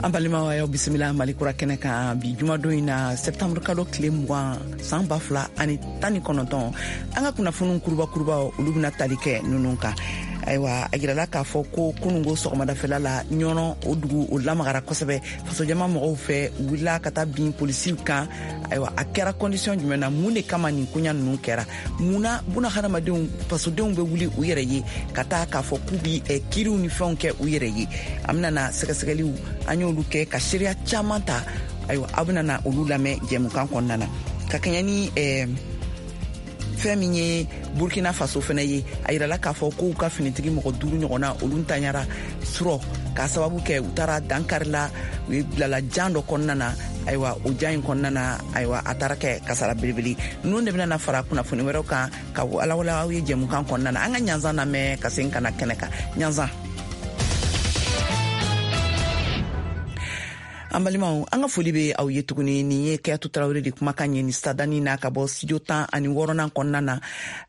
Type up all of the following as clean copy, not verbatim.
An balimaw, a y'aw bisimila Mali Kura kɛnɛ kan bi jumadon in na, septembre kalo tile 20, san 2019. An ka kunnafoniw kuruba kurubaw, olu bɛna tali kɛ ninnu kan. Ayiwa, a yirala k'a fɔ ko kunungo sɔgɔmadafɛla la, Ɲɔnɔ, o dugu o lamagara kosɛbɛ fasojama mɔgɔw fɛ. U wulila ka taa bin polisiw kan. Ayiwa, a kɛra condition jumɛn na? Mun de kama nin koɲa ninnu kɛra? Mun na buna hadamadenw, fasodenw bɛ wuli u yɛrɛ ye ka taa k'a fɔ k'u bi kiriw ni fɛnw kɛ u yɛrɛ ye? An bɛna na sɛgɛsɛgɛliw, an y'olu kɛ ka seereya caman ta. Ayiwa, aw bɛna na olu lamɛn jɛmukan kɔnɔna na. Ka kɛɲɛ ni fɛn min ye Burkina Faso fɛnɛ ye, a yirala k'a fɔ k'u ka finitigi mɔgɔ duuru ɲɔgɔnna, olu ntanyara surɔ k'a sababu kɛ u taara dankarila, u ye bilala jan dɔ kɔnɔna na. Ayiwa, o jan in kɔnɔna na, ayiwa, a taara kɛ kasara belebele. Ninnu de bɛna na fara kunnafoni wɛrɛw kan ka walawala aw ye jɛmukan kɔnɔna na. An ka ɲanzan lamɛn ka segin ka na kɛnɛ kan. Ɲanzan. An balimaw, an ka foli be aw ye tuguni. Nin ye Kɛyatu Tarawele de kumakan ye ni sadani na ka bɔ studio 16nan kɔnɔna na,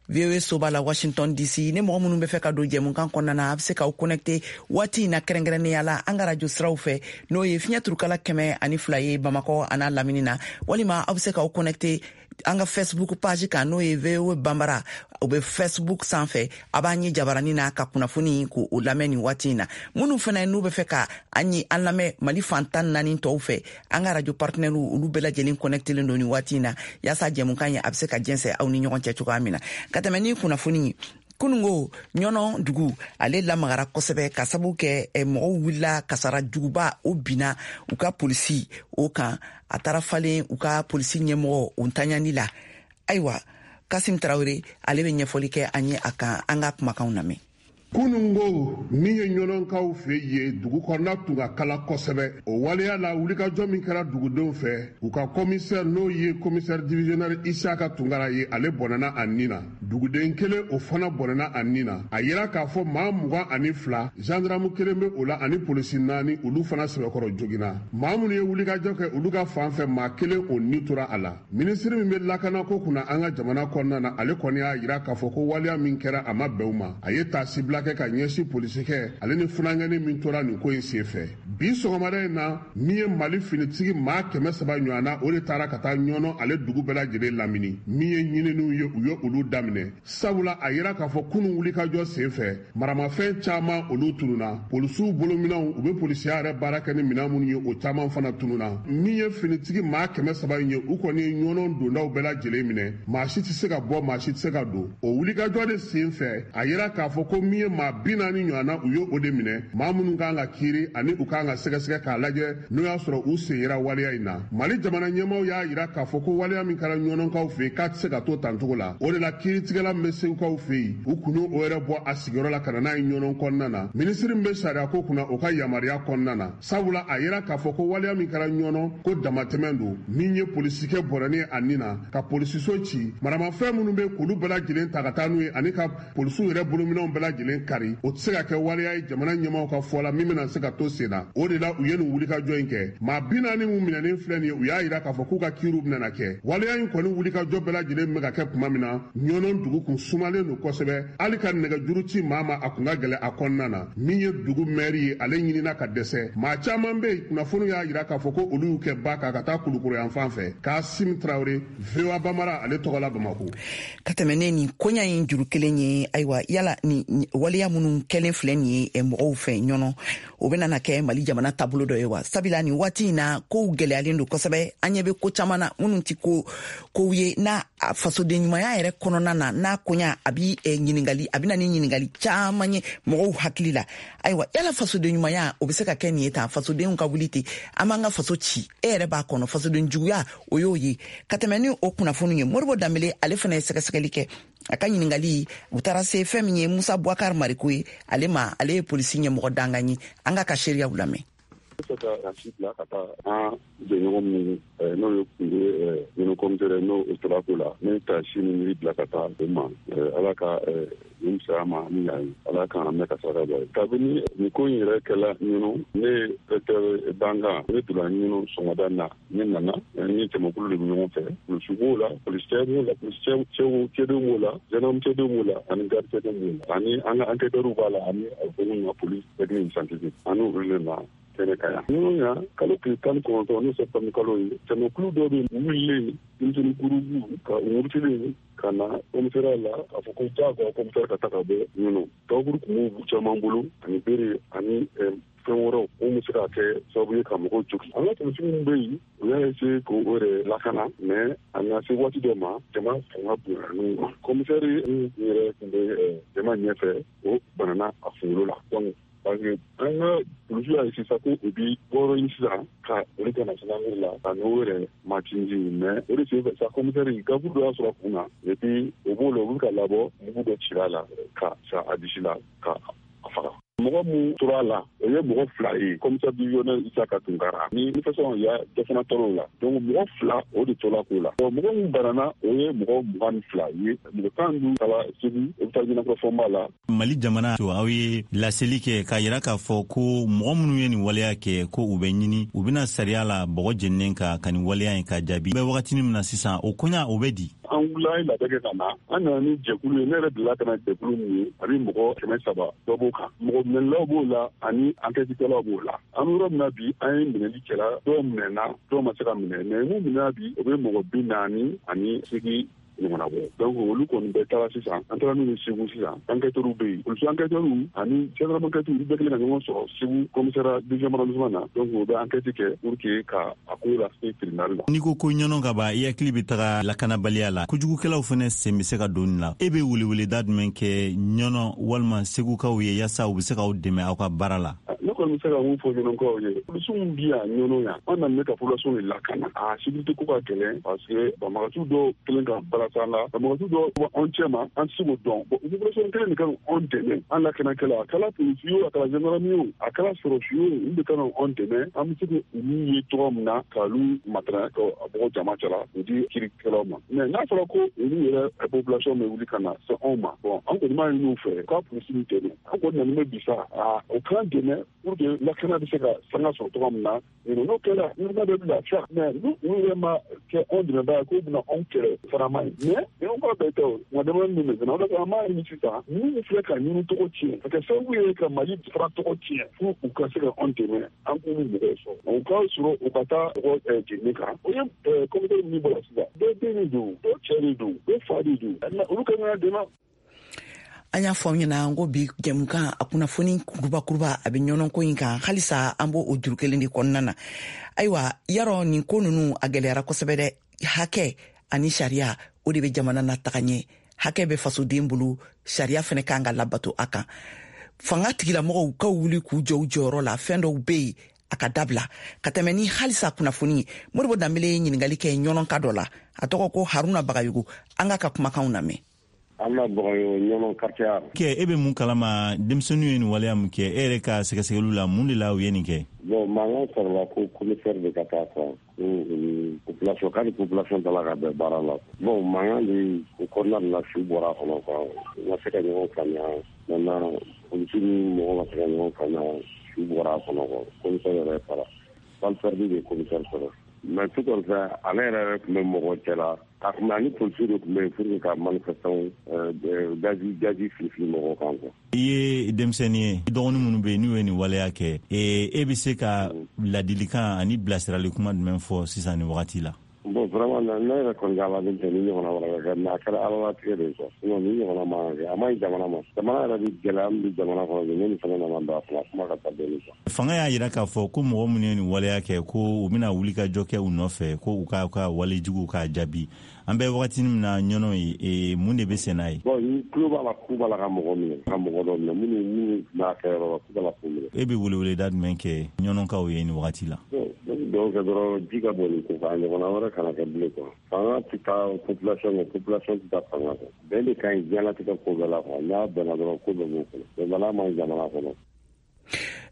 VOA soba la, Washington DC. Ni mɔgɔ minnu bɛ fɛ ka don jɛmukan kɔnɔna na, a bɛ se k'aw connecte waati in na, kɛrɛnkɛrɛnnenya la an ka radio siraw fɛ, n'o ye fiɲɛ turukala 102 ye Bamakɔ an'a lamini na, walima aw bɛ se k'aw connecte an ka Facebook page kan, n'o ye VOA Banbara, o bɛ Facebook sanfɛ. A b'an ye jabarani na ka kunnafoni k'o lamɛn nin waati in na. Minnu fana n'u bɛ fɛ ka an ye, an lamɛn Mali fan 14 tɔw fɛ, an ka radio partenaires, olu bɛɛ lajɛlen connectelen don nin waati in na, yaasa jɛmukan ye a bɛ se ka jɛnsɛn aw ni ɲɔgɔn cɛ cogoya min na. Ka tɛmɛ ni kunnafoni ye, kunungo Ɲɔnɔ dugu, ale lamagara kosɛbɛ ka sababu kɛ mɔgɔw wulila, kasara juguba o binna u ka polisi o kan. A taara falen u ka polisi ɲɛmɔgɔ o ntanyani la. Ayiwa, Kasim Tarawele, ale bɛ ɲɛfɔli kɛ an ye a kan. An ka kumakanw lamɛn. Kunungo, min ye Ɲɔnɔnkaw fɛ ye, dugu kɔnɔna tun ka kala kosɛbɛ. O waleya la, wulikajɔ min kɛra dugudenw fɛ, u ka commissaire, n'o ye commissaire divisionnaire Isaka Tunkara ye, ale bɔnɛna a nin na. Duguden kelen, o fana bɔnɛna a nin na. A yira k'a fɔ maa 22, gendarme kelen bɛ o la ani polisi naani, olu fana sɛbɛkɔrɔ joginna. Maa minnu ye wulikajɔ kɛ, olu ka fan fɛ, maa kelen, o ni tora a la. Minisiri min bɛ lakanako kunna an ka jamana kɔnɔna na, ale kɔni y'a yira k'a fɔ ko waleya min kɛra, a ma bɛn u ma. A ye taasibila kɛ ka ɲɛsin polisikɛ ale ni funankɛni min tora nin ko in senfɛ. Bi sɔgɔmada in na, min ye Mali finitigi maa 300 ɲɔgɔn na, o de taara ka taa Ɲɔnɔ ale dugu bɛɛ lajɛlen lamini. Min ye ɲininiw ye, u ye olu daminɛ, sabula a yira k'a fɔ kunun wulikajɔ senfɛ, maramafɛn caman olu tununa, polisiw bolominɛnw, u bɛ polisiya yɛrɛ baara kɛ ni minɛn minnu ye, o caman fana tununa. Min ye finitigi maa 300 in ye, u kɔni ye Ɲɔnɔ dondaw bɛɛ lajɛlen minɛ, maa si tɛ se ka bɔ, maa si tɛ se ka don. O wulikajɔ de sen fɛ, a yira k'a fɔ ko min ye maa 40 ɲɔgɔn na, u ye o de minɛ, maa minnu kan ka kiiri ani u kan ka sɛgɛsɛgɛ k'a lajɛ n'o y'a sɔrɔ u sen yera waleya in na. Mali jamana ɲɛmaaw y'a yira k'a fɔ ko waleya min kɛra Ɲɔnɔnkaw fɛ yen, k'a tɛ se ka to tancogo la. O de la, kiiritigɛla min bɛ Segukaw fɛ yen, u kun y'o yɛrɛ bɔ a sigiyɔrɔ la ka na n'a ye Ɲɔnɔn kɔnɔna na, minisiri min bɛ sariyako kunna, o ka yamaruya kɔnɔna na, sabula a yira k'a fɔ ko waleya min kɛra Ɲɔnɔ, ko damatɛmɛ don. Min ye polisikɛ bɔnɛni a nin na, ka polisiso ci, maramafɛn minnu bɛ k'olu bɛɛ lajɛlen ta ka taa n'u ye, ani ka polisiw yɛrɛ bolominɛnw bɛɛ lajɛlen kari, o tɛ se ka kɛ waleya ye jamana ɲɛmaaw ka fɔ la min bɛna se ka to sen na. O de la, u ye nin wulikajɔ in kɛ. Maa 40 min minɛnen filɛ nin ye, u y'a yira k'a fɔ k'u ka kiiriw bɛna kɛ. Waleya in kɔni wulikajɔ bɛɛ lajɛlen bɛ ka kɛ tuma min na, Ɲɔnɔ dugu kun sumalen don kosɛbɛ, hali ka nɛgɛjuru ci maa ma, a kun ka gɛlɛn a kɔnɔna na. Min ye dugu mɛri ye, ale ɲinina ka dɛsɛ. Maa caman bɛ yen, kunnafoniw y'a yira k'a fɔ ko olu y'u kɛ ba kan ka taa Kulukoro yan fan fɛ. Kasim Tarawele, VOA Bambara ale tɔgɔ la, Bamako. Ka tɛmɛ ne nin koɲa in juru kelen ye, ayiwa, yala ni waleya minnu kɛlen filɛ nin ye mɔgɔw fɛ Ɲɔnɔ, o bɛna na kɛ Mali jamana taabolo dɔ ye wa? Sabula nin waati in na, kow gɛlɛyalen don kosɛbɛ. An ɲɛ bɛ ko caman na minnu ti ko kow ye n'a fasoden ɲumanya yɛrɛ kɔnɔna na, n'a koɲa a bi ɲininkali, a bɛna ni ɲininkali caman ye mɔgɔw hakili la. Ayiwa, yala fasoden ɲumanya, o bɛ se ka kɛ nin ye tan, fasodenw ka wuli ten, an b'an ka faso ci? E yɛrɛ b'a kɔnɔ, fasoden juguya, o y'o ye. Ka tɛmɛ ni o kunnafoni ye, Moribo Danbele, ale fana ye sɛgɛsɛgɛli kɛ. A ka ɲininkali, u taara se fɛn min ye Musa Bubakar Mariko ye ale ma, ale ye polisi ɲɛmɔgɔ dankan ye. An ka seereyaw lamɛn. Fɛ ka ci bila ka taa an jɛɲɔgɔn minnu, n'o ye kun ye minnu commissaire, n'o o tora ko la, ne ka si ni miiri bila ka taa o ma. Ala ka nin fisaya ma ni yan ye, Ala k'an mɛn ka saraka bɔ ye. Kabini nin ko in yɛrɛ kɛla Ɲɔnɔ, ne ye inspecteur dankan, ne donna Ɲɔnɔ sɔgɔmada na. Ne nana ni jamakulu de bɛ ɲɔgɔn fɛ, polisi b'o la, polisicɛ b'o la, polisi cɛw cɛdenw b'o la, gendarme cɛdenw b'o la, ani garde cɛdenw b'o la, ani an ka enquêteurs b'a la, ani a fɔ minnu ma police technique scientifique, ani olu de na. kɛnɛ kan yan. Ɲɔnɔ yan, kalo tile 19, n'o septembre kalo ye, jamakulu dɔ bɛ wulilen, denmisɛnnin gurupu ka murutilen ka na commissariat la k'a fɔ ko jagoya commissaire ka taa ka bɔ Ɲɔnɔ. Gabakuru tun b'u caman bolo ani bere ani fɛn wɛrɛw mun bɛ se ka kɛ sababu ye ka mɔgɔw jogin. An ka polisiw minnu bɛ yen, u y'a essayer k'o yɛrɛ lakana, mais a nana se waati dɔ ma, jama fanga bonyana n'u ma. Commissaire min yɛrɛ tun bɛ jama ɲɛfɛ, o banana a kunkolo la. Donc parce que an ka polisiw y'a essayer sa ko u bi bɔyɔrɔ ɲini sisan ka boli ka na gendarmerie la ka n'o yɛrɛ matinji, mais o de senfɛ sa commissaire gabakuru dɔ y'a sɔrɔ a kun na, et puis o b'o la, u bɛ ka labɔ, mugu dɔ cira a la ka sa a disi la ka a faga. Mɔgɔ mun tora a la, o ye mɔgɔ 2 ye, commissaire divisionnaire Isaka Tunkara ni manifestant ya dɔ fana tɔrɔ la. Donc mɔgɔ 2 o de tola ko la. Bon, mɔgɔ mun banana, o ye mɔgɔ 22 ye, mɔgɔ 15 taara Segu hôpital Ɲɛnakɔrɔ Fɔnba la. Mali jamana to aw ye laseli kɛ k'a yira k'a fɔ ko mɔgɔ minnu ye nin waleya kɛ, ko u bɛ ɲini, u bɛna sariya la bɔgɔ jeninen ka nin waleya in ka jaabi. Bɛ wagatinin min na sisan, o koɲa o bɛ di? An wulila, an ye labɛn kɛ ka na, an nana ni jɛkulu ye. Ne yɛrɛ delila ka na jɛkulu min ye, a bɛ mɔgɔ 300 dɔ b'o kan. Mɔgɔ minɛlilaw b'o la ani enquêtekɛlaw b'o la. An bɛ yɔrɔ min na bi, an ye minɛli kɛla, dɔw minɛna, dɔw ma se ka minɛ, mais mun minɛna bi, o bɛ mɔgɔ 48 ɲɔgɔnna bɔ. Donc olu kɔni bɛɛ taara sisan, an taara n'u ye Segu sisan. Enquêteurs bɛ yen, polisi enquêteurs ani gendarme enquêteurs, olu bɛɛ kɛlen ka ɲɔgɔn sɔrɔ Segu commissariat deuxième arrondissement na. Donc u bɛ enquête kɛ pour que ka a ko lase tribunal la. N'i ko ko Ɲɔnɔ ka ban, i hakili bɛ taga lakanabaliya la, kojugukɛlaw fana sen bɛ se ka don nin la. E bɛ weleweleda jumɛn kɛ Ɲɔnɔ walima Segukaw ye yaasa u bɛ se k'aw dɛmɛ aw ka baara la? Ne kɔni bɛ se ka mun fɔ Ɲɔnɔkaw ye, polisiw min bi yan Ɲɔnɔ yan, an nana ka population de lakana. A sécurité ko ka gɛlɛn parce que banbagaciw dɔw kelen ka balasa la, banbagaciw dɔw bɔ anw cɛ ma, an tɛ se k'o dɔn. Bon, population kelen de kan anw dɛmɛ, an lakanakɛla, a kɛra polisi ye o, a kɛra gendarme ye o, a kɛra sɔrɔsi ye o, olu de kan anw dɛmɛ. An bɛ se k'olu ye cogoya min na k'olu matara ka bɔ jama cɛla k'u di kiirikɛlaw ma. Mais n'a fɔra ko olu yɛrɛ population bɛ wuli ka na se anw ma, bon, an kɔni b'a ɲini u fɛ k'a polisi dɛmɛ. An kɔni nana bɛ bi sa, o k'an dɛmɛ pour que lakana bɛ se ka sanga sɔrɔ cogoya min na. N'o kɛra, ɲɔgɔn bɛ lafiya. Mais n'u yɛrɛ ma kɛ anw dɛmɛbaa ye k'u bɛna anw kɛlɛ, fana man ɲi. Mais ɲɔgɔn ka bɛɛ tɛ o, nka dɛmɛ min bɛ o de an b'a ɲini sisan, minnu filɛ ka ɲini tɔgɔ tiɲɛ, ka kɛ sababu ye ka Mali fana tɔgɔ tiɲɛ, fo u ka se ka anw dɛmɛ, an k'olu mɔgɔw sɔrɔ. U ka sɔrɔ u ka taa mɔgɔ jenini kan. O ye commissaire min bɔra sisan, dɔw den de don, dɔw cɛ de don, dɔw fa de don, olu ka kan ka dɛmɛ. An y'a fɔ aw ɲɛna ko bi jɛmukan a kunnafoni kurubakuruba a bɛ ɲɔnɔnko in kan. Halisa an b'o o juru kelen de kɔnɔna na. Ayiwa, yarɔ nin ko ninnu a gɛlɛyara kosɛbɛ dɛ. Hakɛ ani sariya, o de bɛ jamana na taga ɲɛ. Hakɛ bɛ fasoden bolo, sariya fɛnɛ kan ka labato a kan. Fanga tigilamɔgɔw ka wuli k'u jɔ u jɔyɔrɔ la, fɛn dɔw bɛ yen a ka dabila. Ka tɛmɛ ni halisa kunnafoni ye, Modibo Danbele ye ɲininkali kɛ ɲɔnɔnka dɔ la, a tɔgɔ ko Haruna Bagayogo. An k'a ka kumakanw lamɛn. An Bagayogo, Ɲɔnɔ quartier. Kɛ e bɛ mun kalama denmisɛnninw ye nin waleya mun kɛ? E yɛrɛ ka sɛgɛsɛgɛliw la, mun de la u ye nin kɛ? Bon, mankan sɔrɔla ko commissaire de ka taa quoi, ko ni population, k'a ni population tala ka bɛn baara la. Bon, mankan de o kɔnɔna de la, su bɔra a kɔnɔ quoi. U ma se ka ɲɔgɔn faamuya. Maintenant, polisi ni mɔgɔ ma se ka ɲɔgɔn faamuya, su bɔra a kɔnɔ quoi. Commissaire yɛrɛ fara, balle perdue de commissaire sɔrɔ. Mais tout compte fait, ale yɛrɛ tun bɛ mɔgɔ cɛ la. A tun bɛ ani polisiw de tun bɛ yen pour que ka manifestant gazi fili mɔgɔw kan quoi. I ye denmisɛnnin ye, i dɔgɔnin minnu bɛ yen n'u ye nin waleya kɛ, e bɛ se ka ladilikan ani bilasirali kuma jumɛn fɔ sisan nin wagati la? Bon, vraiment, ne yɛrɛ kɔni ka ala tɛ ni ɲɔgɔnna wɛrɛ ka kɛ, mais a kɛra ala latigɛ de ye quoi. Sinon ni ɲɔgɔnna man kan kɛ, a man ɲi jamana ma. Jamana yɛrɛ bɛ gɛlɛya min bɛ jamana kɔnɔ bi, ne ni fɛnɛ nana don a kɔnɔ, a kuma ka ca dɔɔni quoi. Fanga y'a yira k'a fɔ ko mɔgɔ minnu ye nin waleya kɛ, ko u bɛna wuli ka jɔ kɛ u nɔfɛ, ko u ka walejuguw k'a jaabi. An bɛ wagatinin min na Ɲɔnɔ ye, mun de bɛ sen n'a ye? Bon, ni tulo b'a la k'u b'a la ka mɔgɔ minɛ, ka mɔgɔ dɔ minɛ, minnu b'a kɛ yɔrɔ la, k'u b'a la k'u minɛ. E bɛ weleweleda jumɛn kɛ Ɲɔnɔkaw ye nin wagati la? Bon, ne bɛ dugawu kɛ dɔrɔn, ji ka bɔ nin ko kan, a ɲɔgɔnna wɛrɛ kana kɛ bilen quoi. Fanga tɛ taa population kɔ, population tɛ taa fanga kɔ. Bɛn de ka ɲi diɲɛlatigɛ ko bɛɛ la quoi. N'a bɛnna dɔrɔn, ko bɛɛ b'o kɔnɔ. Bɛnbaliya man ɲi jamana kɔnɔ.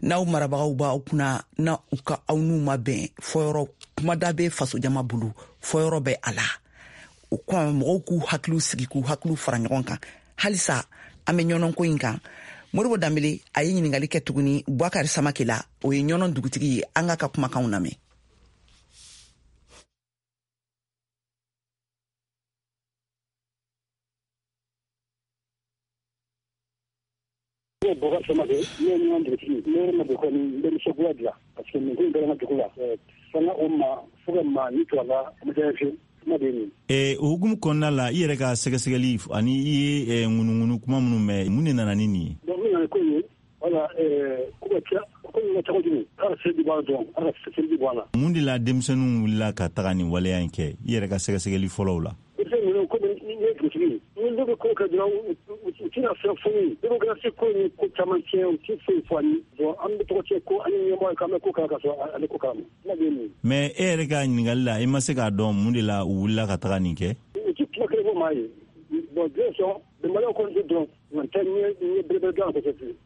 N'aw marabagaw b'aw kunna, na u ka aw n'u ma bɛn fɔyɔrɔ, kumada bɛ fasojama bolo, fɔyɔrɔ bɛ a la. O kɔn mɔgɔw k'u hakiliw sigi, k'u hakiliw fara ɲɔgɔn kan. Halisa an bɛ ɲɔnɔnko in kan. Modibo Danbele a ye ɲininkali kɛ tuguni Bubakari Samake la, o ye Ɲɔnɔ dugutigi ye. An k'a ka kumakanw lamɛn. Bɔkari Samake, ne ye ɲɔgɔn dugutigi, ne yɛrɛ ma bɔ kɔni n bɛ nisɔngoya dilan parce que nin ko in kɛra n ka dugu la. Fanga o ma fo ka maa ni to a la, a ma diya n ye fiyewu. Kuma de ye nin ye. O hukumu kɔnɔna la, i yɛrɛ ka sɛgɛsɛgɛli ani i ye ŋunuŋunu kuma minnu mɛn, mun de nana ni nin ye? Donc min nana ni ko in ye, wala ko ka ca ko in ka ca kojugu, k'a ka seli bɔ a la dɔrɔn, ala ka seli bɔ a la. Mun de la denmisɛnninw wulila ka taga nin waleya in kɛ, i yɛrɛ ka sɛgɛsɛgɛli fɔlɔw la? Denmisɛnnin ninnu, komi ne ye dugutigi ye, ni ne bɛ ko kɛ dɔrɔn, u tɛna fɛn fɔ n ye. Démocratie ko in ye ko caman tiɲɛ, u tɛ foyi fɔ an ye. Bon, an bɛ tɔgɔ tiɲɛ ko an ye ɲɛmɔgɔ ye k'an bɛ ko kala ka sɔrɔ ale ko kalama. Kuma de ye nin ye. Mais e yɛrɛ ka ɲininkali la, i ma se k'a dɔn mun de la u wulila ka taga nin kɛ? U tɛ kuma kelen fɔ maa ye. Bon, diɲɛ sɔn bɛnbaliyaw kɔni tɛ dɔn.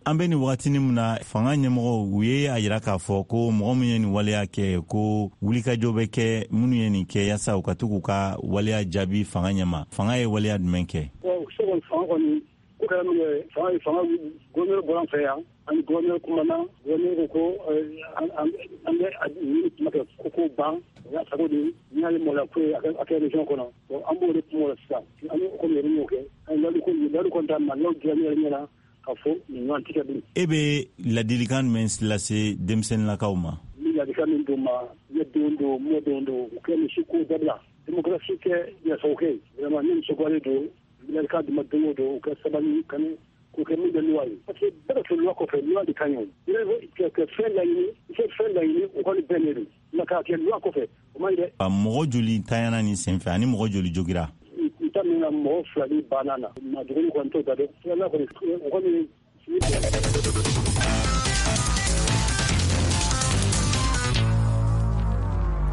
An bɛ nin wagatinin min na, fanga ɲɛmɔgɔw u ye a yira k'a fɔ ko mɔgɔ min ye nin waleya kɛ, ko wulikajɔ bɛ kɛ minnu ye nin kɛ yaasa u ka to k'u ka waleya jaabi fanga ɲɛma. Fanga ye waleya jumɛn kɛ? Fanga kɔni ko kɛra min ye, fanga ye fanga gouverneur bɔra an fɛ yan, an ni gouverneur kumana, gouverneur ko an bɛ ɲini kuma kɛ ko ban, o y'a sago de ye, n'i y'a ye maloya ko ye a kɛ région kɔnɔ. An b'o de kuma o la sisan, an ye ko yɛrɛ y'o kɛ, an ye layidu kɔni d'a ma, n'o diya ne yɛrɛ ɲɛna k'a fɔ nin ɲɔgɔn tɛ kɛ bilen. E bɛ ladilikan jumɛn lase denmisɛnninnakaw ma? N bɛ ladilikan min d'u ma, ne denw don, mɔdenw don, u kɛ nin si ko dabila, démocratie kɛ yɛrɛsago kɛ, vraiment ne nisɔndiyalen don. N bɛ ladilikan d'u ma don o don, u ka sabali ka k'o kɛ min bɛ loi ye, parce que bɛɛ ka to loi kɔfɛ, loi de ka ɲi. O ka fɛn laɲini, i ka fɛn laɲini, o kɔni bɛnnen don, nka k'a kɛ loi kɔfɛ, o man ɲi dɛ. Mɔgɔ joli tanyana nin senfɛ ani mɔgɔ joli jogira? N ta min na, mɔgɔ 2 de banna na, ma duguni kɔni t'o da dɔn, filanan kɔni o kɔni.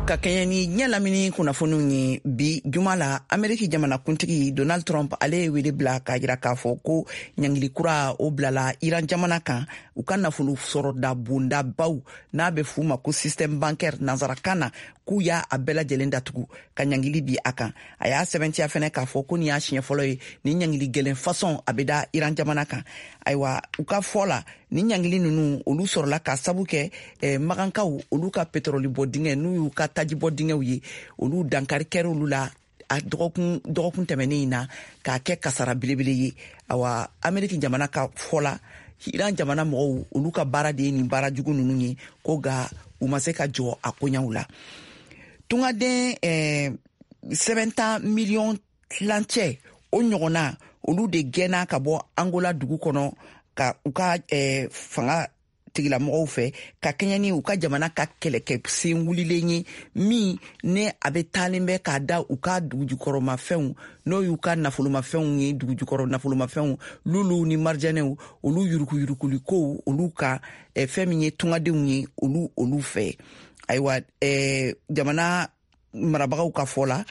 Ka kɛɲɛ ni diɲɛ lamini kunnafoniw ye bi juma la, Ameriki jamanakuntigi Donald Trump ale ye wele bila k'a jira k'a fɔ ko ɲangili kura o bilala Iran jamana kan, u ka nafolo sɔrɔda bondabaw n'a bɛ f'u ma ko système bancaire nansarakan na, k'u y'a a bɛɛ lajɛlen datugu ka ɲangili bi a kan. A y'a sɛbɛntiya fɛnɛ k'a fɔ ko nin y'a siɲɛ fɔlɔ ye nin ɲangili gɛlɛn fasɔn a bɛ da Iran jamana kan. Ayiwa, u ka fɔ la, nin ɲangili ninnu olu sɔrɔla k'a sabu kɛ magankaw olu ka petrɔli bɔ dingɛ n'u y'u ka tajibɔ dingɛw ye, olu dankari kɛra olu la a dɔgɔkun tɛmɛnen in na k'a kɛ kasara belebele ye. Awa, Ameriki jamana ka fɔ la, Iran jamana mɔgɔw olu ka baara de ye nin baara jugu ninnu ye, ko nka u ma se ka jɔ a koɲaw la. Tungaden sɛbɛnta miliyɔn tilancɛ o ɲɔgɔnna olu de gɛnna ka bɔ Angola dugu kɔnɔ ka u ka fanga tigilamɔgɔw fɛ ka kɛɲɛ ni u ka jamana ka kɛlɛkɛ sen wulilen ye min ne a bɛ taalen bɛ k'a da u ka dugujukɔrɔmafɛnw n'o y'u ka nafolomafɛnw ye, dugujukɔrɔ nafolomafɛnw luluw ni marijɛnɛw olu yurukuyurukulikow olu ka fɛn min ye tungadenw ye olu fɛ. Ayiwa, jamana marabagaw ka fɔ la,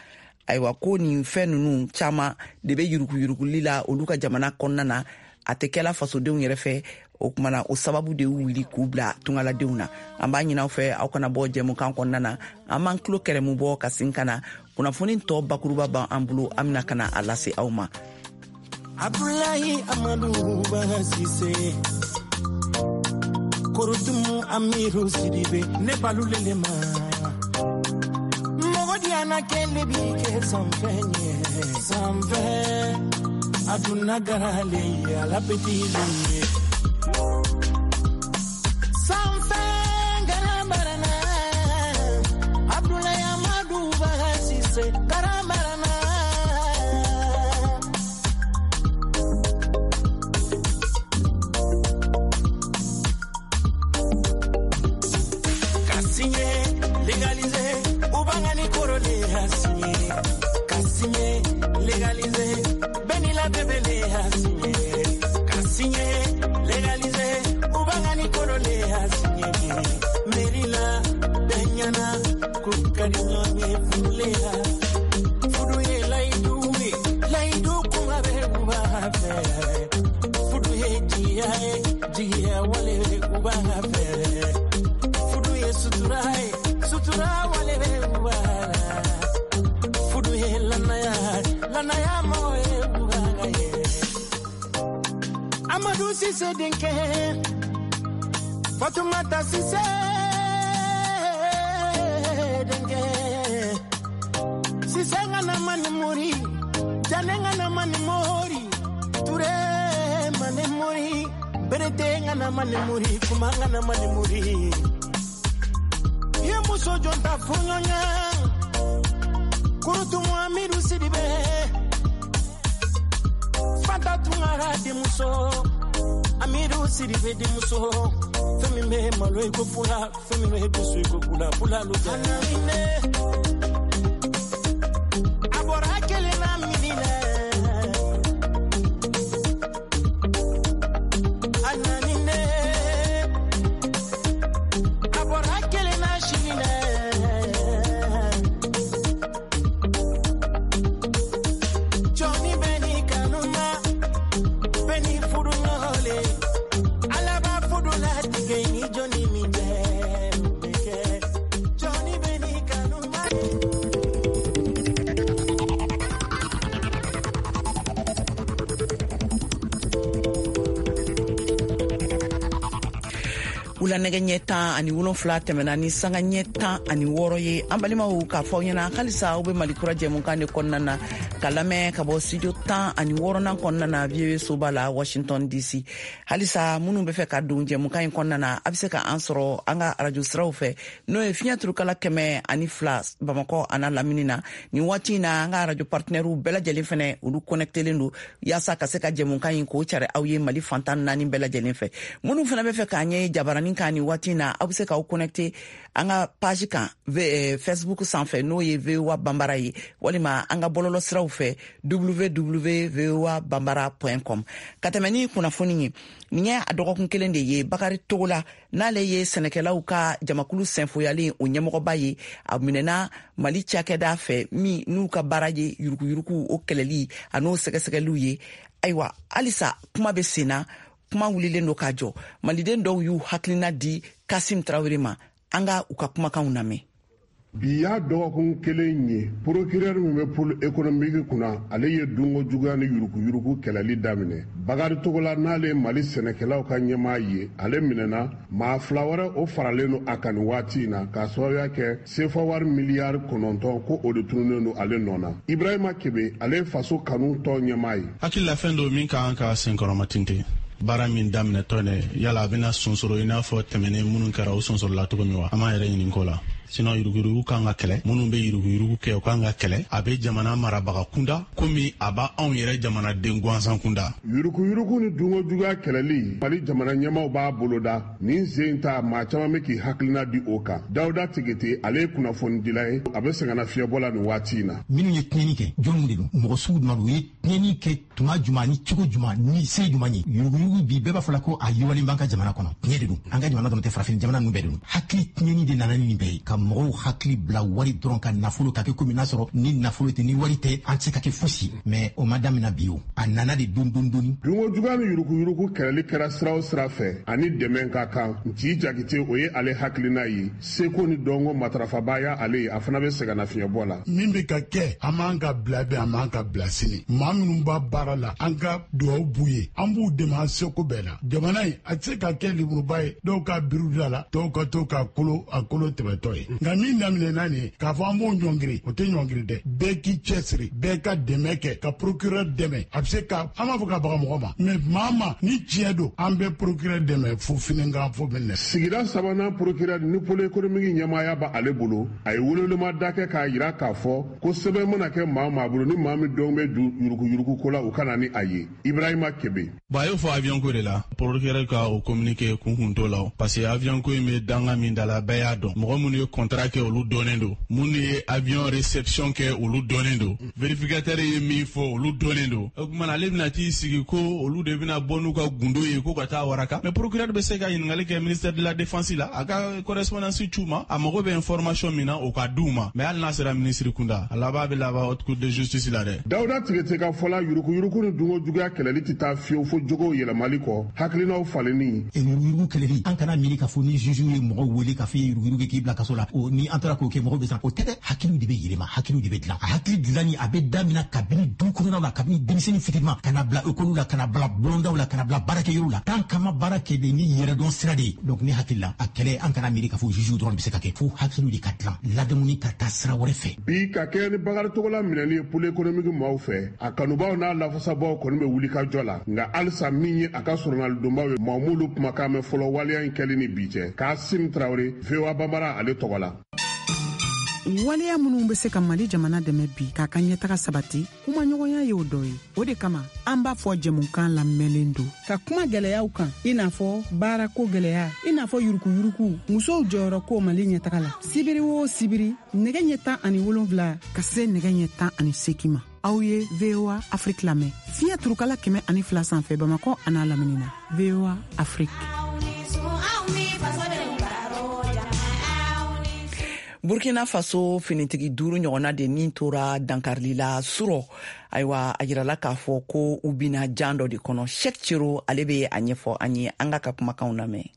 ayiwa, ko nin fɛn ninnu caman de bɛ yurukuyurukuli la olu ka jamana kɔnɔna na, a tɛ kɛla fasodenw yɛrɛ fɛ. O kumana o sababu de y'u wuli k'u bila tungaladenw na. An b'a ɲini aw fɛ, aw kana bɔ jɛmukan kɔnɔna na, an b'an tulo kɛrɛmu bɔ ka sin ka na kunnafoni tɔ bakuruba b'an bolo, an bɛna ka na a lase aw ma. Abdoulaye Amadou Sise Korotumu Amiru Sidibe ne balulele ma mɔgɔ diyana kele bi kɛ sanfɛ ɲɛ sanfɛ aduna garale ala petile sanfɛ garabarana Abdoulaye Amadou Sise garabarana ka signé légalisé ubangani korole a signé ka signé légalisé Benila bébélé a signé ka signé légalisé ubangani korole a signé Merila Benyana kukadi nyonye fulea fuduye laiduwe laidu kuma be uba fe fuduye jiya jiya wale uba fe fuduye sutura sutura wale be uba fuduye lanaya lanaya moye uba ye Amadou Cissé denke Fatoumata Cissé denke Cissé ngana mani mori Jane ngana mani mori Touré mani mori Berete Manimuri kumangana manimuri ye muso jɔn ta fɔɲɔɲɛ kurutumu Amidu Sidibe Fanta Tunkara denmuso Amidu Sidibe denmuso fɛn min bɛ malo i ko fula fɛn min bɛ dusu i ko bula bula lu tɛ a bɔra kelen na mini na a nani ne a bɔra kelen na sini na jɔnni bɛ ni kanu ma bɛ ni furu ɲɔgɔn le ala b'a furu latigɛ ni jɔnni min cɛ o bɛ kɛ jɔnni bɛ ni kanu ma. Wula nɛgɛ ɲɛ 17 tɛmɛna ni sanga ɲɛ 16 ye. An balimaw, k'a fɔ aw ɲɛna halisa aw be Mali Kura jɛmukan de kɔnɔna na ka lamɛn ka bɔ studio 16nan kɔnɔna na, VOA soba la, Washington DC. Halisa minnu be fɛ ka don jɛmukan in kɔnɔna na, a be se ka an sɔrɔ an ka arajo siraw fɛ, n'o ye fiɲɛ turukala 102 Bamakɔ ana lamini na. Nin waati in na, an ka arajo partenaires bɛɛ lajɛlen fɛnɛ, olu connectelen don yaasa ka se ka jɛmukan in k'o cari aw ye Mali fantan naani bɛɛ lajɛlen fɛ. Minnu fɛnɛ bɛ fɛ k'an ye jabaranin kan nin waati in na, aw be se k'aw connecte an ka page kan Facebook sanfɛ, n'o ye VOA Banbara ye, walima an ka bɔlɔlɔ siraw fɛ, www voa bambara com. Ka tɛmɛ ni kunnafoni ye, nin ye a dɔgɔkun kelen de ye Bakari Togola, n'ale ye sɛnɛkɛlaw ka jamakulu sɛnfoyalen o ɲɛmɔgɔba ye, a minɛna Mali cakɛda fɛ min n'u ka baara ye yuruguyurugu o kɛlɛli a n'o sɛgɛsɛgɛliw ye. Ayiwa, halisa kuma bɛ sen na, kuma wulilen don k'a jɔ. Maliden dɔw y'u hakilina di Kasim Tarawele ma. An ka u ka kumakanw lamɛn. Bi y'a dɔgɔkun kelen ye, procureur min bɛ pôle économique kunna, ale ye dunko juguya ni yuruguyurugu kɛlɛli daminɛ. Bakari Togola, n'ale Mali sɛnɛkɛlaw ka ɲɛmaa ye, ale minɛna. Maa fila wɛrɛ, o faralen don a kan nin waati in na, k'a sababuya kɛ sefa wari miliyari 9 ko o de tununnen don ale nɔ na. Ibrahima Kebe, ale ye Faso Kanu tɔn ɲɛmaa ye. Hakilila fɛn dɔ min ka kan ka senkɔrɔmatintin, baara min daminɛtɔ dɛ, yala a bɛna sonsoro i n'a fɔ tɛmɛnen minnu kɛra, o sonsorola cogo min wa? An b'an yɛrɛ ɲininko la. Sinon yuruguyurugu kan ka kɛlɛ, minnu bɛ yuruguyurugu kɛ, o kan ka kɛlɛ. A bɛ jamana marabaga kunda komi a b'a anw yɛrɛ jamanaden gansan kunda. Yuruguyurugu ni dunko juguya kɛlɛli, Mali jamana ɲɛmaw b'a boloda nin sen ta. Maa caman bɛ k'i hakilina di o kan. Dawuda Tigete, ale ye kunnafonidila ye, a bɛ sɛgɛnna fiɲɛbɔ la nin waati in na. Minnu ye tiɲɛni kɛ, jɔnw de don? Mɔgɔ sugu jumɛn don? U ye tiɲɛni kɛ tuma jumɛn, ni cogo jumɛn, ni se jumɛn ye? Yuruguyurugu bi, bɛɛ b'a fɔ la ko a yiriwalen b'an ka jamana kɔnɔ. Tiɲɛ de don, an ka jamana dɔrɔn tɛ, farafin jamana ninnu bɛɛ de don. Hakili tiɲɛni de nana ni nin bɛɛ ye, ka mɔgɔw hakili bila wari dɔrɔn ka nafolo ka kɛ komi n'a sɔrɔ ni nafolo tɛ, ni wari tɛ, an tɛ se ka kɛ fosi. Mais o ma daminɛ bi, o a nana de don don doni. Dunko juguya ni yuruguyurugu kɛlɛli kɛra sira o sira fɛ, ani dɛmɛ ka kan. Nci Jakite, o ye ale hakilina ye. Seko ni dɔnko matarafaba y'a ale ye, a fana bɛ sɛgɛnna fiɲɛbɔ la. Min bɛ ka kɛ, an b'an ka bila bi, an b'an ka bila sini. Maa minnu b'a baara la, an ka duwawu b'u ye, an b'u dɛmɛ an seko bɛɛ la. Jamana in a tɛ se ka kɛ lemuruba ye, dɔw ka biriw da la, dɔw ka to ka kolo a kolo tɛmɛtɔ ye. Nka min daminɛna nin ye, k'a fɔ an b'o ɲɔngiri, o tɛ ɲɔngiri dɛ. Bɛɛ k'i cɛsiri, bɛɛ ka dɛmɛ kɛ ka procureur dɛmɛ. A bɛ se ka, an b'a fɔ ka baga mɔgɔ ma, mais maa ma ni tiɲɛ don, an bɛ procureur dɛmɛ fo finikan fo minɛ. Sigida sabanan procureur ni pôle économique ɲɛmaaya b'a ale bolo, a ye welewelema da kɛ k'a yira k'a fɔ ko sɛbɛn mana kɛ maa o maa bolo, ni maa min dɔn bɛ yuruguyurugu ko la, u ka na ni a ye. Ibrahima Kebe. Bon, a y'o fɔ avion ko de la. Procureur ka o communiqué kun kun t'o la, parce que avion ko in bɛ danga min da la, bɛɛ y'a dɔn. Mɔgɔ minnu ye contrat kɛ, olu dɔnnen don. Minnu ye avion réception kɛ, olu dɔnnen don. Vérificateur ye min fɔ, olu dɔnnen don. O tuma na, ale bɛna t'i sigi ko olu de bɛna bɔ n'u ka gundo ye ko ka taa waraka. Mais procureur bɛ se ka ɲininkali kɛ ministère de la Défense la, a ka correspondance c'u ma, a mago bɛ information min na, o ka d'u ma. Mais hali n'a sera ministre kunda, a laban bɛ laban haute cour de justice la dɛ. Dawuda Tigete ka fɔla, yuruguyurugu ni dunko juguya kɛlɛli tɛ taa fiyewu fo jogow yɛlɛmali kɔ, hakilinaw falenni. Yuruguyurugu kɛlɛli, an kana miiri k'a fɔ ni juge ye mɔgɔ wele k'a fɔ i ye yuruguyurugu kɛ, k'i bila kaso la. Ni an taara k'o kɛ, mɔgɔw bɛ siran. O tɛ dɛ, hakiliw de bɛ yɛlɛma, hakiliw de bɛ dilan. A hakili dilanni, a bɛ daminɛ kabini du kɔnɔnaw la, kabini denmisɛnnin fitinin, ka na bila ekɔliw la, ka na bila bulondaw la, ka na bila baarakɛyɔrɔw la. Tant qu'an ma baara kɛ de ni yɛrɛdɔn sira de ye. Donc ne hakili la, a kɛlɛ, an kana miiri k'a fɔ juge dɔrɔn de bɛ se ka kɛ, fo hakiliw de ka dilan, ladamuni ka taa sira wɛrɛ fɛ. Bi, ka kɛɲɛ ni Bakari Togola minɛli ye Pôle économique maaw fɛ, a kanubaw n'a lafasabaw kɔni bɛ wuli ka jɔ la. Nka halisa, min ye a ka sɔrɔnalidonbaw ye, maaw m'olu kumakan mɛn fɔlɔ waleya in kɛli ni bi cɛ. Kasim Tarawele, VOA Bambara, ale tɔgɔ la. Waleya minnu bɛ se ka Mali jamana dɛmɛ bi k'a ka ɲɛtaga sabati, kumaɲɔgɔnya y'o dɔ ye. O de kama an b'a fɔ jɛmukan lamɛnlen don ka kuma gwɛlɛyaw kan, i n'a fɔ baarako gwɛlɛya, i n'a fɔ yurukuyuruku, musow jɔyɔrɔ ko Mali ɲɛtaga la. Sibiri o sibiri, nɛgɛ ɲɛ 17 ka se nɛgɛ ɲɛ 18 ma, aw ye VOA Afrique lamɛn fiɲɛ turukala 102 sanfɛ, Bamakɔ an'a lamini na. VOA Afrique. Burkina Faso, finitigi duuru ɲɔgɔnna de nin tora dankarili la surɔ. Ayiwa, a yirala k'a fɔ ko u bina jan dɔ de kɔnɔ. Shek Cero, ale be a ɲɛfɔ an ye. An ka kumakanw lamɛn.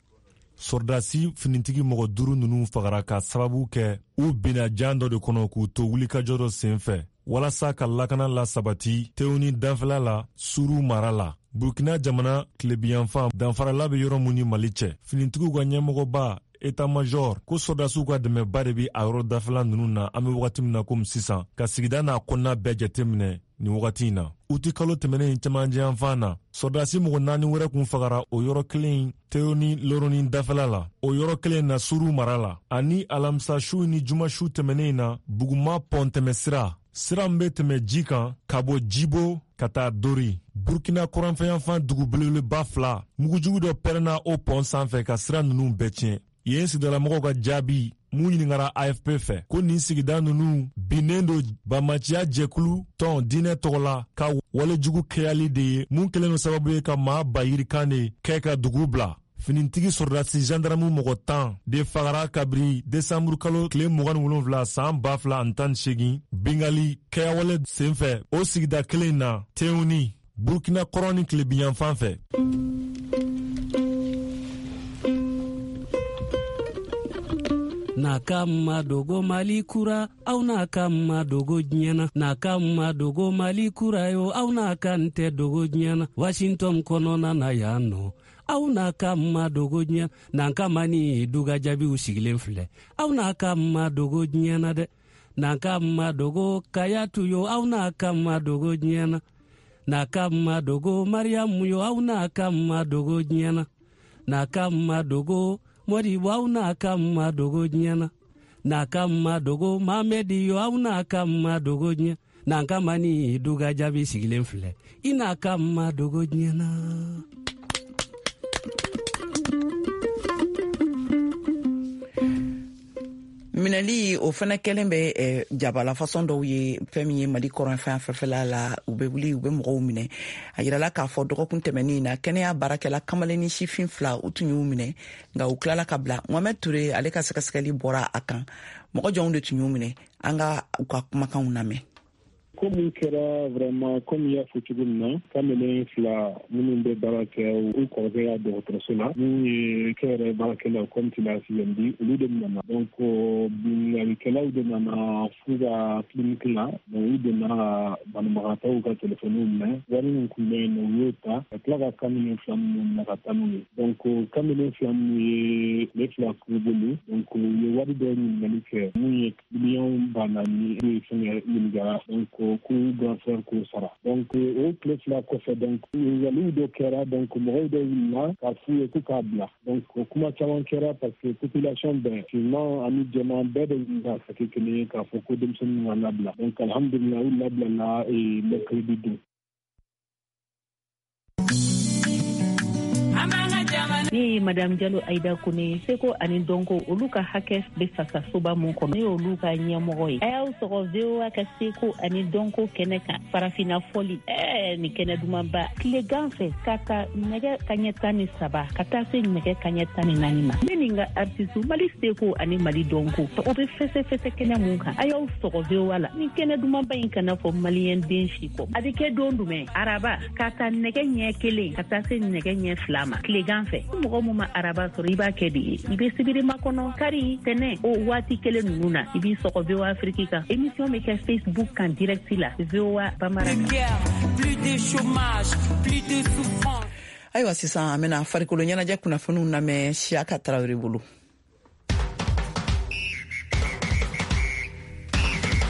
Sɔrɔdasi finitigi mɔgɔ duuru ninnu fagara ka sababu kɛ u binna jan dɔ de kɔnɔ k'u to wulikajɔ dɔ sen fɛ walasa ka lakana la sabati Tewuni danfɛla la, Suru mara la, Burkina jamana tilebiyanfan, danfarala bɛ yɔrɔ mun ni Mali cɛ. Finitigiw ka ɲɛmɔgɔba, état major, ko sɔrɔdasiw ka dɛmɛba de bi a yɔrɔ dafɛla ninnu na an be wagati min na komi sisan, ka sigida n'a kɔnɔna bɛɛ jateminɛ nin wagati in na. Uti kalo tɛmɛnen cɛmancɛyanfan na, sɔrɔdasi mɔgɔ naani wɛrɛ kun fagara o yɔrɔ kelen Teyoni Loroni dafɛla la, o yɔrɔ kelen na, Suru mara la. Ani alamisa su ni juma su tɛmɛnen na, Buguma pɔn tɛmɛ sira, sira min bɛ tɛmɛ ji kan ka bɔ Jibo ka taa Dori, Burkina kɔrɔnfɛyanfan dugu belebeleba fila, mugujugu dɔ pɛrɛnna o pɔn sanfɛ ka sira ninnu bɛɛ tiɲɛ. Yen sigidalamɔgɔw ka jaabi mun ɲiningara AFP fɛ, ko nin sigida ninnu binnen don bamaciya jɛkulu tɔn diinɛ tɔgɔ la ka walejugu kɛyali de ye, mun kɛlen don sababu ye ka maa ba yirikan de kɛ ka dugu bila. Finitigi sɔrɔdasi zandaramu mɔgɔ 10 de fagara kabiri desanburu kalo tile 27 san 2018, bingali kɛyawale senfɛ o sigida kelen na, Tewuni, Burkina kɔrɔn ni tilebinyanfan fɛ. N'a ka ma dogo Mali kura, aw n'a ka ma dogo diɲɛ na. N'a ka ma dogo Mali kura yo, aw n'a ka n tɛ dogo diɲɛ na. Washington kɔnɔna na yan nɔ, aw n'a ka ma dogo diɲɛ n'an ka ma ni duga jaabiw sigilen filɛ. Aw n'a ka ma dogo diɲɛ na dɛ. N'an ka ma dogo Kayatu yo, aw n'a ka ma dogo diɲɛ na. N'a ka ma dogo Mariyamu yo, aw n'a ka ma dogo diɲɛ na. N'a ka ma dogo Modibo, aw n'a ka ma dogo diɲɛ na. N'a ka ma dogo Mamɛdi yo, aw n'a ka ma dogo diɲɛ n'an ka ma ni duga jaabi sigilen filɛ. I n'a ka ma dogo diɲɛ na. Minɛli o fana kɛlen bɛ jabala fasɔn dɔw ye. Fɛn min ye Mali kɔrɔnfɛn fɛfɛla la, u bɛ wuli, u bɛ mɔgɔw minɛ. A yirala k'a fɔ dɔgɔkun tɛmɛnin na, kɛnɛya baarakɛla kamalen ni sifin fila, u tun y'u minɛ, nka u tilala ka bila. Mohamɛd Ture, ale ka sɛgɛsɛgɛli bɔra a kan. Mɔgɔ jɔnw de tun y'u minɛ? An ka u ka kumakanw lamɛn. Ko min kɛra vraiment, komi i y'a fɔ cogo min na, kamalen fila minnu bɛ baara kɛ u kɔrɔkɛ ka dɔgɔtɔrɔso la, minnu ye kɛyɛrɛ baarakɛlaw, comme tu l'as si bien dit, olu de nana. Donc binkannikɛlaw de nana f'u ka clinique la. Donc u donna ka banabagatɔw ka telefɔniw minɛ, wari min tun bɛ yen nɔ, u y'o ta ka tila ka kamalen fila minnu minɛ ka taa n'u ye. Donc kamalen fila minnu ye tile 2 k'u bolo, donc u ye wari dɔw ɲininkali kɛ, mun ye miliyɔn 4000 ye fɛngɛ ɲininkara, donc k'u grand frère k'o sara. Donc o tile 2 kɔfɛ, donc ɲininkaliw dɔ kɛra, donc mɔgɔw dɔw wulila k'a f'u ye k'u k'a bila. Donc kuma caman kɛra parce que population bɛɛ, finman ani jɛman bɛɛ de wulila ka kɛ kelen ye k'a fɔ ko denmisɛnninw ka labila. Donc alhamdulillah, u labilala mercredi don. Ne ye Madame Jalo Aida Kone. Seko ani dɔnko, olu ka hakɛ bɛ fasasoba mun kɔnɔ, ne y'olu ka ɲɛmɔgɔ ye. A y'aw sɔgɔ VOA ka seko ani dɔnko kɛnɛ kan, Farafina fɔli. Nin kɛnɛ dumanba, tilegan fɛ ka ta nɛgɛ kaɲɛ 13 ka taa se nɛgɛ kaɲɛ 14 ma. Ne ni n ka artiste, Mali seko ani Mali dɔnko, o bɛ fɛsɛfɛsɛ kɛnɛ mun kan, a y'aw sɔgɔ VOA la. Nin kɛnɛ dumanba in kana fɔ maliyɛn den si kɔ. A bɛ kɛ don jumɛn? Araba, ka ta nɛgɛ ɲɛ 1 ka taa se nɛgɛ ɲɛ 2 ma, tilegan fɛ. mɔgɔ mun ma araba sɔrɔ, i b'a kɛ de ye, i bɛ sibiri makɔnɔ, kari, tɛnɛ, o waati kelen ninnu na, i b'i sɔgɔ VOA Afrique kan. Émission bɛ kɛ Facebook kan direct la, VOA Bambara. Plus de chômage, plus de souffrance. Ayiwa, sisan an bɛna farikolo ɲɛnajɛ kunnafoniw lamɛn Siyaka Tarawele bolo.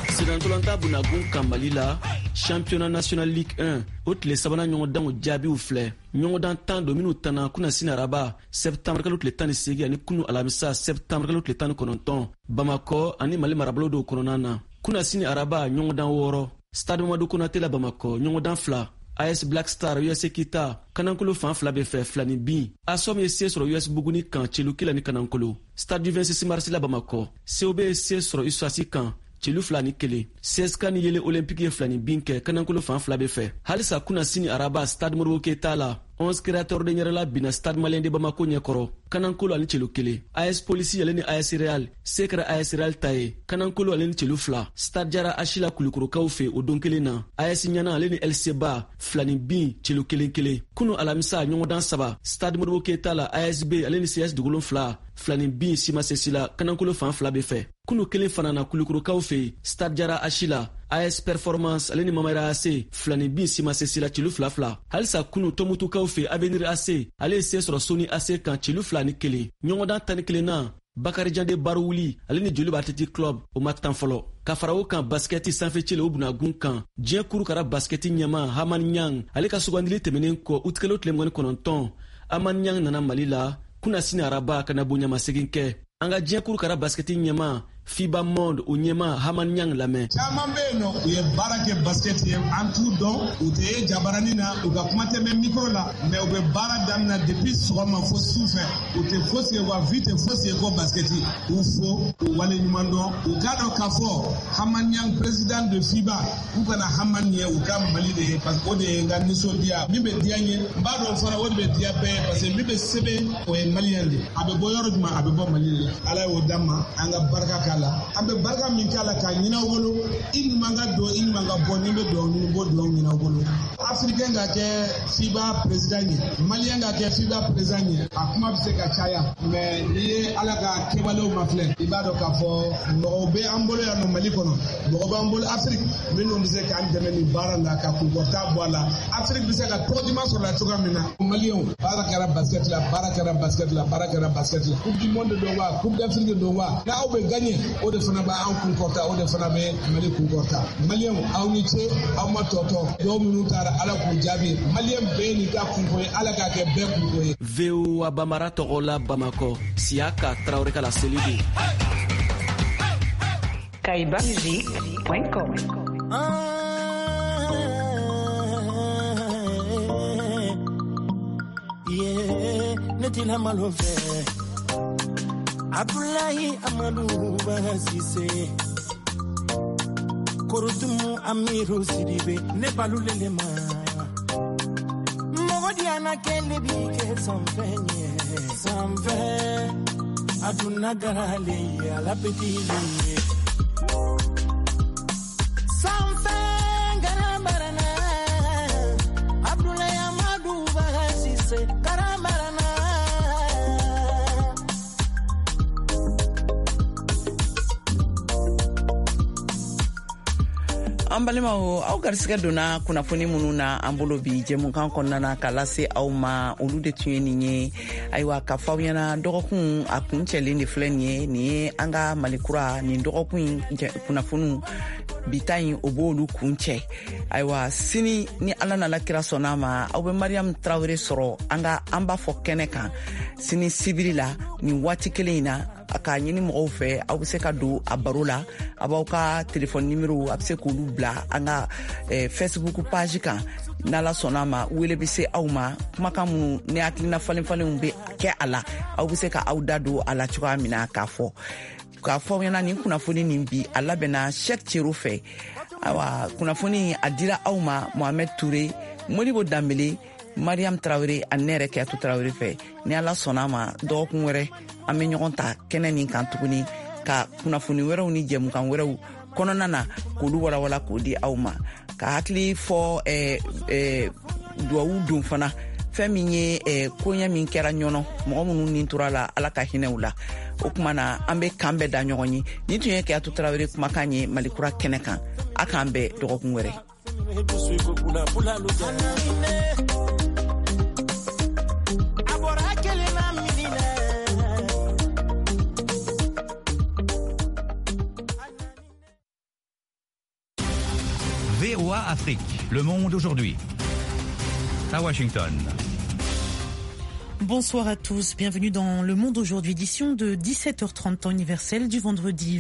Sennantolatan bunagun kan Mali la, championnat national Ligue 1, o tile sabanan ɲɔgɔndanw jaabiw filɛ. Ɲɔgɔndan 10 don minnu tanna kunasini araba sɛptanburu kalo tile 18 ani kunu alamisa sɛptanburu kalo tile 19, Bamakɔ ani Mali marabolo dɔw kɔnɔna na. Kunasini araba, ɲɔgɔndan 6, Stade Mamadu Konate la Bamakɔ, ɲɔgɔndan 2, AS Black Star US Kita, Kanankolo fan fila bɛ fɛ, 2 ni bin. ASOM ye se sɔrɔ US Buguni kan, celu 1 ni Kanankolo. Stade du 26 mars la Bamakɔ, COB ye se sɔrɔ USAS kan, celu 2 ni 1. CSK ni Yele Olympique ye 2 ni bin kɛ, Kanankolo fan fila bɛ fɛ. Halisa kunasini araba, Stade Modibo Keyita la, 11 Créateur de Ɲɛrɛla binna Stade Malien de Bamako ɲɛkɔrɔ, Kanankolo ani celu 1. AS Polisi ale ni AS Real, se kɛra AS Real ta ye, Kanankolo ale ni celu 2. Stade Jara Asila, Kulukorokaw fɛ, o don kelen na, AS Ɲana ale ni LC Ba, 2 ni bin, celu 1 1. Kunu alamisa, ɲɔgɔndan saba, Stade Modibo Keyita la, ASB ale ni CS Dugulon 2, 2 ni bin, simasesi la, Kanankolo fan fila bɛ fɛ. Kunu kelen fana na, Kulukorokaw fɛ, Stade Jara Asila, AS Performance ale ni Mamara AC, 2 ni bin, simasesi la, celu 2 2. Halisa kunu, Tɔmutukaw fɛ, Avenir AC ale ye se sɔrɔ Soni AC kan, celu 2 ni 1. Ɲɔgɔndan 11nan, Bakarijan de Baruwuli ale ni Joliba Athletic Club, o ma tan fɔlɔ. Ka fara o kan, basikɛti sanfɛcɛ o bunagun kan, diɲɛ kuru kara basikɛti ɲɛma Hamani Ɲang, ale ka sugandili tɛmɛnen kɔ utikalo tile 29, Hamani Ɲang nana Mali la kunasini araba ka na bonyamasegin kɛ. An ka diɲɛ kuru kara basikɛti ɲɛma FIBA Monde, o ɲɛma Hamani Ɲang lamɛn. Caman bɛ yen nɔ, u ye baara kɛ basket ye, an t'u dɔn, u tɛ ye jabarani na, u ka kuma tɛ mɛn micro la, mais u bɛ baara daminɛ depuis sɔgɔma fo su fɛ, u tɛ fosi ye, wa vie tɛ fosi ye ko basket. U fo, u wale ɲuman dɔn, u k'a dɔn k'a fɔ Hamani Ɲang, président de FIBA, u kana Hamani ye, u ka Mali de ye, parce que o de ye n ka nisɔndiya min bɛ diya n ye. N b'a dɔn fana o de bɛ diya bɛɛ ye, parce que min bɛ sɛbɛn, o ye malien de ye. A bɛ bɔ yɔrɔ jumɛn? A bɛ bɔ Mali de la. Ala y'o d'an ma, an ka barika k'a la. An bɛ barika min k'a la k'a ɲini aw bolo, i ɲuman ka don, i ɲuman ka bɔ, ni bɛ dugawu ɲini, n b'o dugawu ɲini aw bolo. Africain ka kɛ FIBA président ye, malien ka kɛ FIBA président ye, a kuma bɛ se ka caya, mais n'i ye Ala ka kɛwalew mafilɛ, i b'a dɔn k'a fɔ mɔgɔw bɛ an bolo yan nɔ Mali kɔnɔ, mɔgɔ b'an bolo Afrique minnu bɛ se k'an dɛmɛ nin baara la ka kunkɔrɔta bɔ a la, Afrique bɛ se ka tɔgɔ duman sɔrɔ la cogoya min na. Maliyɛnw, baara kɛra basket la, baara kɛra basket la, baara kɛra basket la. Coupe du monde don wa, Coupe d'Afrique don wa, n'aw bɛ gagner, o de fana b'an kunkɔrɔta, o de fana bɛ Mali kunkɔrɔta. Maliyɛnw, aw ni ce, aw ma tɔtɔ. Dɔw minnu taara, Ala k'u jaabi. Maliyɛn bɛɛ n'i ka kunko ye, Ala k'a kɛ bɛɛ kunko ye. VOA Bamara tɔgɔ la Bamakɔ, Siyaka Tarawele ka laseli don. kaibamusic.com. Yeah, ne tina malo fɛ. Abdoulaye Amadou Sise, Korodumu Amiru Sidibe, ne balulele ma mɔgɔ diyana kɛlɛ bi kɛ sanfɛ ɲɛ sanfɛ aduna garale ye ala petili ye sanfɛ garabarana. Abdoulaye Amadou Sise garabarana. An balimaw, aw garisigɛ donna kunnafoni minnu na an bolo bi jɛmukan kɔnɔna na ka lase aw ma, olu de tun ye nin ye. Ayiwa, ka fɔ aw ɲɛna, dɔgɔkun a kun cɛlen de filɛ nin ye. Nin ye an ka Malikura nin dɔgɔkun in kunnafoniw bi ta in, o b'olu kun cɛ. Ayiwa, sini ni Ala nana kira sɔnna ma, aw bɛ Mariam Tarawele sɔrɔ an ka an b'a fɔ kɛnɛ kan sini sibiri la nin waati kelen in na. K'a ɲini mɔgɔw fɛ, aw bɛ se ka don a baro la, a b'aw ka telefɔni nimero, a bɛ se k'olu bila an ka Facebook page kan. N'Ala sɔnna ma, wele bɛ se aw ma. Kumakan minnu ni hakilina falen falenw bɛ kɛ a la, aw bɛ se ka aw da don a la cogoya min na. K'a fɔ aw ɲɛna, nin kunnafoni nin bi, a labɛnna Cheick Cero fɛ. Ayiwa, kunnafoni a dira aw ma Mohamed Toure, Modibo Danbele, Mariam Tarawele ani ne yɛrɛ Keyatu Tarawele fɛ. Ni Ala sɔnna ma, dɔgɔkun wɛrɛ an bɛ ɲɔgɔn ta kɛnɛ nin kan tuguni ka kunnafoni wɛrɛw ni jɛmukan wɛrɛw kɔnɔna na k'olu walawala k'o di aw ma. Ka hakili fɔ duwawu don fana. Fɛn min ye koɲɛ min kɛra Ɲɔnɔ, mɔgɔ minnu nin tora la, Ala ka hinɛ u la. O kuma na, an be kan bɛɛ da ɲɔgɔn ye. Nin tun ye Keyatu Tarawele kumakan ye Malikura kɛnɛ kan. A k'an bɛn dɔgɔkun wɛrɛ. VOA Afrique, le monde aujourd'hui. À Washington. Bonsoir à tous, bienvenue dans Le Monde aujourd'hui, édition de 17h30 temps universel du vendredi